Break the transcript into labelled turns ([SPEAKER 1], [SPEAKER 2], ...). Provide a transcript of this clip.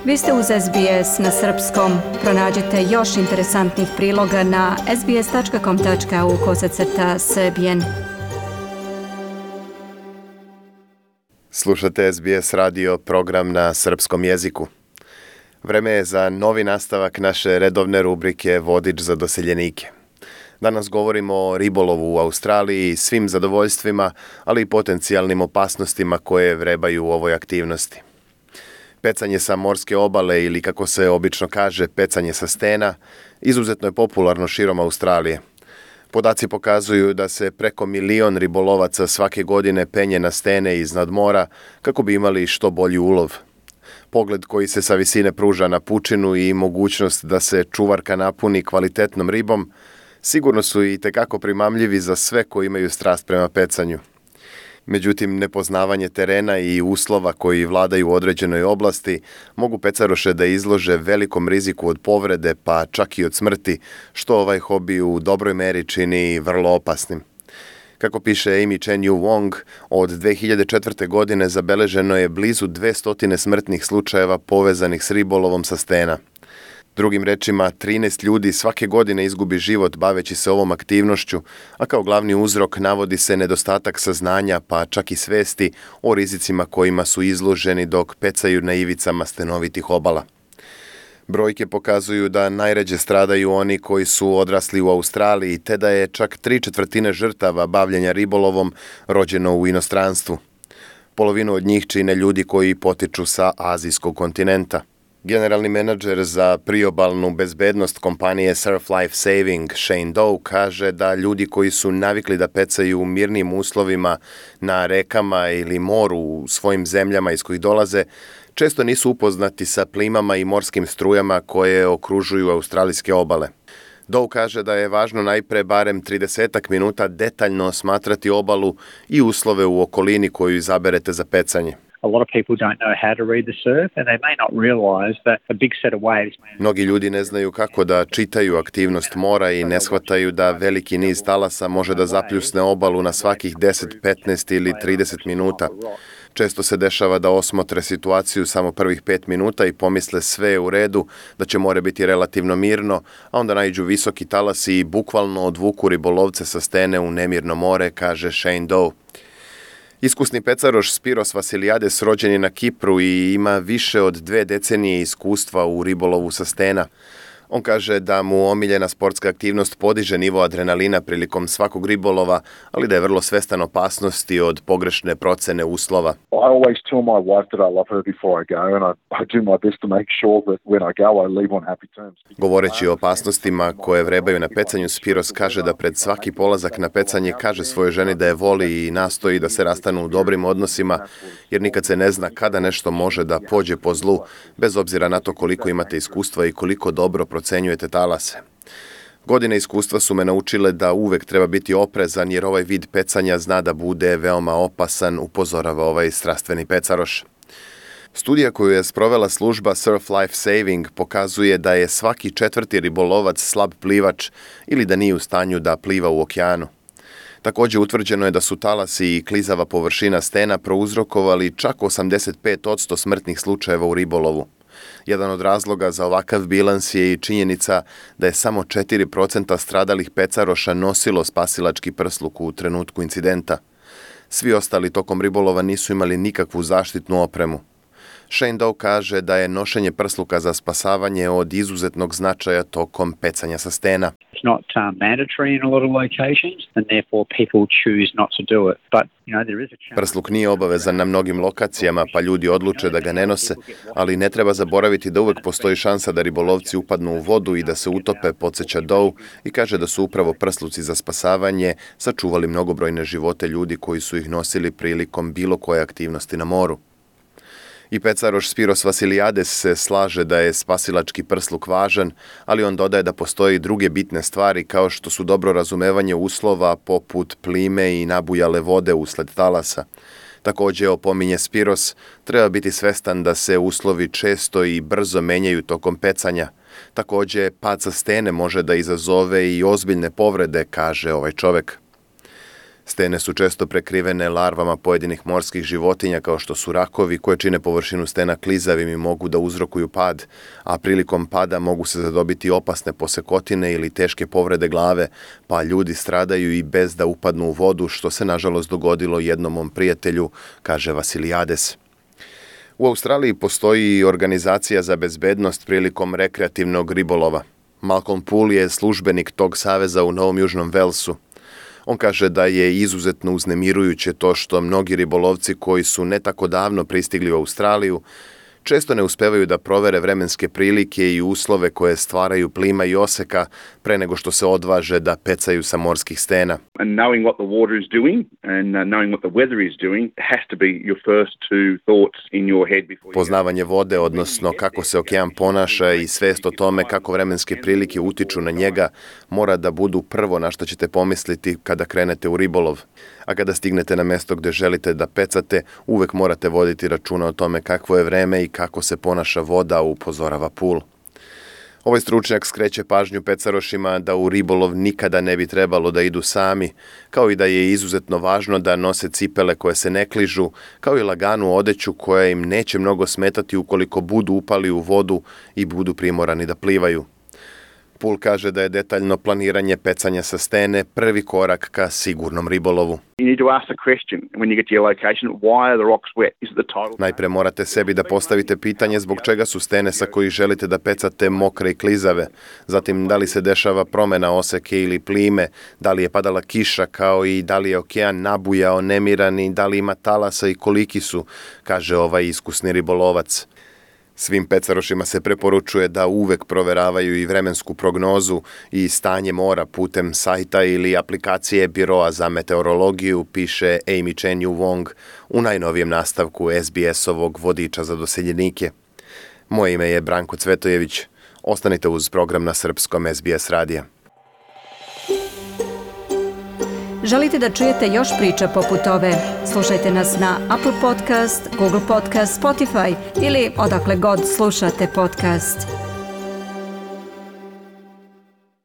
[SPEAKER 1] Vi ste uz SBS na srpskom. Pronađite još interesantnih priloga na sbs.com.au/srbijen.
[SPEAKER 2] Slušate SBS radio, program na srpskom jeziku. Vreme je za novi nastavak naše redovne rubrike Vodič za doseljenike. Danas govorimo o ribolovu u Australiji, svim zadovoljstvima, ali i potencijalnim opasnostima koje vrebaju u ovoj aktivnosti. Pecanje sa morske obale ili, kako se obično kaže, pecanje sa stena, izuzetno je popularno širom Australije. Podaci pokazuju da se preko 1 milion ribolovaca svake godine penje na stene iznad mora kako bi imali što bolji ulov. Pogled koji se sa visine pruža na pučinu i mogućnost da se čuvarka napuni kvalitetnom ribom sigurno su i tekako primamljivi za sve koji imaju strast prema pecanju. Međutim, nepoznavanje terena i uslova koji vladaju u određenoj oblasti mogu pecaroše da izlože velikom riziku od povrede, pa čak i od smrti, što ovaj hobi u dobroj meri čini vrlo opasnim. Kako piše Amy Chen Yu Wong, od 2004. godine zabeleženo je blizu 200 smrtnih slučajeva povezanih s ribolovom sa stena. Drugim rečima, 13 ljudi svake godine izgubi život baveći se ovom aktivnošću, a kao glavni uzrok navodi se nedostatak saznanja, pa čak i svesti o rizicima kojima su izloženi dok pecaju na ivicama stenovitih obala. Brojke pokazuju da najređe stradaju oni koji su odrasli u Australiji, te da je čak 3/4 žrtava bavljenja ribolovom rođeno u inostranstvu. Polovinu od njih čine ljudi koji potiču sa azijskog kontinenta. Generalni menadžer za priobalnu bezbednost kompanije Surf Life Saving, Shane Doe, kaže da ljudi koji su navikli da pecaju u mirnim uslovima na rekama ili moru u svojim zemljama iz kojih dolaze, često nisu upoznati sa plimama i morskim strujama koje okružuju australijske obale. Doe kaže da je važno najpre barem 30 minuta detaljno osmatrati obalu i uslove u okolini koju izaberete za pecanje.
[SPEAKER 3] A lot of people don't know how to read the surf and they may not realize that a big set of waves.
[SPEAKER 2] Mnogi ljudi ne znaju kako da čitaju aktivnost mora i ne shvataju da veliki niz talasa može da zapljusne obalu na svakih 10, 15 ili 30 minuta. Često se dešava da osmotre situaciju samo prvih 5 minuta i pomisle sve je u redu, da će more biti relativno mirno, a onda naiđu visoki talasi i bukvalno odvuku ribolovce sa stene u nemirno more, kaže Shane Doe. Iskusni pecaroš Spiros Vasiliades rođen je na Kipru i ima više od 2 decenije iskustva u ribolovu sa stena. On kaže da mu omiljena sportska aktivnost podiže nivo adrenalina prilikom svakog ribolova, ali da je vrlo svestan opasnosti od pogrešne procene uslova.
[SPEAKER 4] I always tell my wife that I love her before I go and I do my best to make sure that when I go I leave on happy terms.
[SPEAKER 2] Govoreći o opasnostima koje vrebaju na pecanju, Spiros kaže da pred svaki polazak na pecanje kaže svojoj ženi da je voli i nastoji da se rastanu u dobrim odnosima, jer nikad se ne zna kada nešto može da pođe po zlu, bez obzira na to koliko imate iskustva i koliko dobro procenjujete talase. Godine iskustva su me naučile da uvek treba biti oprezan jer ovaj vid pecanja zna da bude veoma opasan, upozorava ovaj strastveni pecaroš. Studija koju je sprovela služba Surf Life Saving pokazuje da je svaki 4. ribolovac slab plivač ili da nije u stanju da pliva u okeanu. Također utvrđeno je da su talasi i klizava površina stena prouzrokovali čak 85% smrtnih slučajeva u ribolovu. Jedan od razloga za ovakav bilans je i činjenica da je samo 4% stradalih pecaroša nosilo spasilački prsluk u trenutku incidenta. Svi ostali tokom ribolova nisu imali nikakvu zaštitnu opremu. Shane Doe kaže da je nošenje prsluka za spasavanje od izuzetnog značaja tokom pecanja sa stena.
[SPEAKER 3] It's not mandatory in a lot of locations and therefore people choose not to do it. But there is a chance.
[SPEAKER 2] Prsluk nije obavezan na mnogim lokacijama, pa ljudi odluče da ga ne nose, ali ne treba zaboraviti da uvek postoji šansa da ribolovci upadnu u vodu i da se utope, podsjeća Doe, i kaže da su upravo prsluci za spasavanje sačuvali mnogobrojne živote ljudi koji su ih nosili prilikom bilo koje aktivnosti na moru. I pecaroš Spiros Vasiliades se slaže da je spasilački prsluk važan, ali on dodaje da postoje i druge bitne stvari kao što su dobro razumevanje uslova poput plime i nabujale vode usled talasa. Također, opominje Spiros, treba biti svestan da se uslovi često i brzo menjaju tokom pecanja. Također, pad sa stene može da izazove i ozbiljne povrede, kaže ovaj čovek. Stene su često prekrivene larvama pojedinih morskih životinja kao što su rakovi koje čine površinu stena klizavim i mogu da uzrokuju pad, a prilikom pada mogu se zadobiti opasne posekotine ili teške povrede glave, pa ljudi stradaju i bez da upadnu u vodu, što se nažalost dogodilo jednom mom prijatelju, kaže Vasilijades. U Australiji postoji i organizacija za bezbednost prilikom rekreativnog ribolova. Malcolm Poole je službenik tog saveza u Novom Južnom Velsu. On kaže da je izuzetno uznemirujuće to što mnogi ribolovci koji su ne tako davno pristigli u Australiju često ne uspevaju da provere vremenske prilike i uslove koje stvaraju plima i oseka pre nego što se odvaže da pecaju sa morskih stena.
[SPEAKER 5] And knowing what the water is doing and knowing what the weather is doing has to be your first two thoughts in your head before.
[SPEAKER 2] Poznavanje vode, odnosno kako se okean ponaša i svest o tome kako vremenske prilike utiču na njega, mora da budu prvo na što ćete pomisliti kada krenete u ribolov. A kada stignete na mesto gde želite da pecate, uvek morate voditi računa o tome kakvo je vreme i kako se ponaša voda, upozorava Poole. Ovaj stručnjak skreće pažnju pecarošima da u ribolov nikada ne bi trebalo da idu sami, kao i da je izuzetno važno da nose cipele koje se ne kližu, kao i laganu odeću koja im neće mnogo smetati ukoliko budu upali u vodu i budu primorani da plivaju. Poole kaže da je detaljno planiranje pecanja sa stene prvi korak ka sigurnom ribolovu.
[SPEAKER 5] You need to ask the question when you get to your location, why are the rocks wet? Is it the tidal?
[SPEAKER 2] Najpre morate sebi da postavite pitanje zbog čega su stene sa kojih želite da pecate mokre i klizave. Zatim, da li se dešava promena oseke ili plime, da li je padala kiša, kao i da li je okean nabujao, nemiran i da li ima talasa i koliki su, kaže ovaj iskusni ribolovac. Svim pecarošima se preporučuje da uvek proveravaju i vremensku prognozu i stanje mora putem sajta ili aplikacije Biroa za meteorologiju, piše Amy Chen Yu Wong u najnovijem nastavku SBS-ovog vodiča za doseljenike. Moje ime je Branko Cvetojević. Ostanite uz program na srpskom SBS radija.
[SPEAKER 1] Želite da čujete još priča poput ove? Slušajte nas na Apple Podcast, Google Podcast, Spotify ili odakle god slušate podcast.